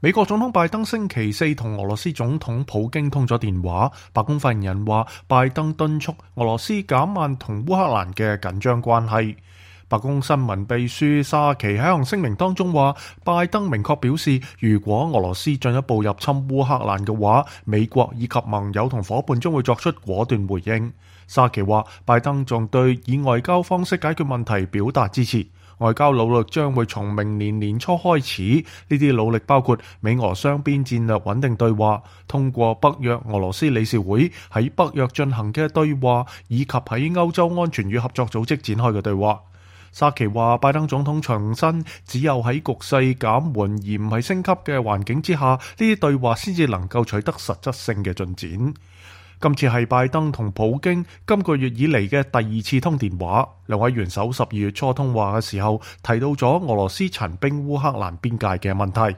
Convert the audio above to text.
美國總統拜登星期四同俄羅斯總統普京通咗電話，白宮發言人話，拜登敦促俄羅斯減慢同烏克蘭嘅緊張關係。白宮新聞秘書沙奇喺一項聲明當中話，拜登明確表示，如果俄羅斯進一步入侵烏克蘭嘅話，美國以及盟友同伙伴將會作出果斷回應。沙奇話，拜登仲對以外交方式解決問題表達支持。外交努力將會從明年年初開始，呢啲努力包括美俄雙邊戰略穩定對話，通過北約俄羅斯理事會喺北約進行嘅對話，以及喺歐洲安全與合作組織展開嘅對話。沙奇話，拜登總統重申，只有喺局勢減緩而唔係升級嘅環境之下，呢啲對話先至能夠取得實質性嘅進展。今次係拜登同普京今個月以嚟嘅第二次通電話，兩位元首12月初通話嘅時候提到咗俄羅斯陳兵烏克蘭邊界嘅問題。